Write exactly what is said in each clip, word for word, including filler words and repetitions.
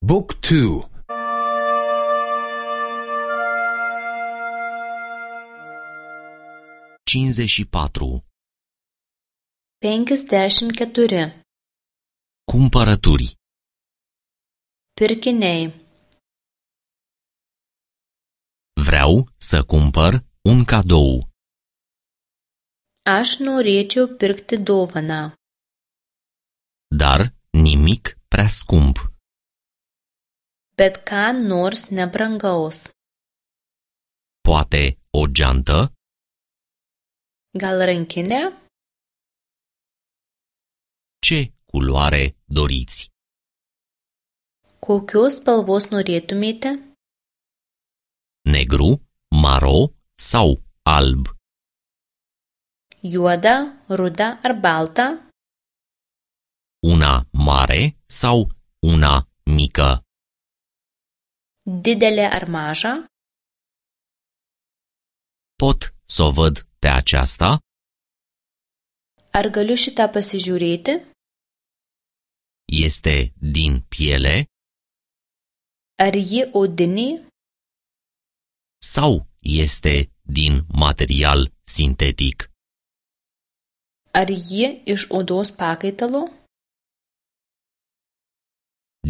Book two. cincizeci și patru. Penkiasdešimt keturi. Cumpărături. Pirkiniai. Vreau să cumpăr un cadou. Aš norėčiau pirkti dovaną. Dar nimic prea scump. Bet ką nors nebrangaus. Poate o geantă? Gal rankinė? Ce culoare doriți? Kokios spalvos norėtumėte? Negru, maro sau alb? Juoda, ruda ar balta? Una mare sau una mică? Didelė ar maža? Pot să o văd pe aceasta? Ar galiu šitą pasižiūrėti? Este din piele? Ar ji odinė? Sau este din material sintetic? Ar ji iš odos pakaitalo?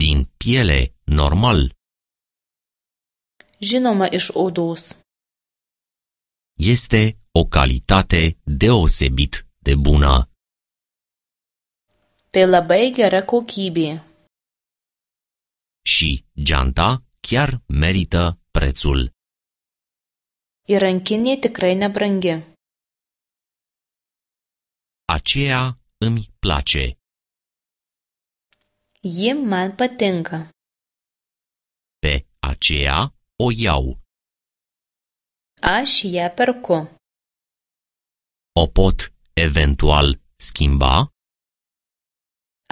Din piele normal. Žinoma, iš odos. Este o calitate deosebit de bună. Tai labai gera kokybė. Și geanta chiar merită prețul. Ir rankinė tikrai nebrangi. Aceea îmi place. Ji man patinka. Pe aceea o iau. Aš ją perku. O pot eventual schimba?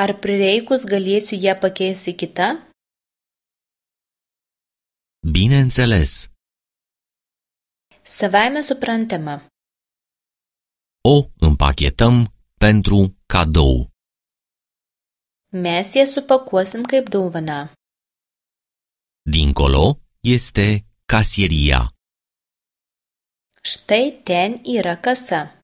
Ar prireikus galėsiu ją pakeisti kitą? Bineînțeles. Savaime suprantama. O împachetăm pentru cadou. Mes ją supakuosim kaip dovaną. Dincolo este casieria. Štai ten yra kasa.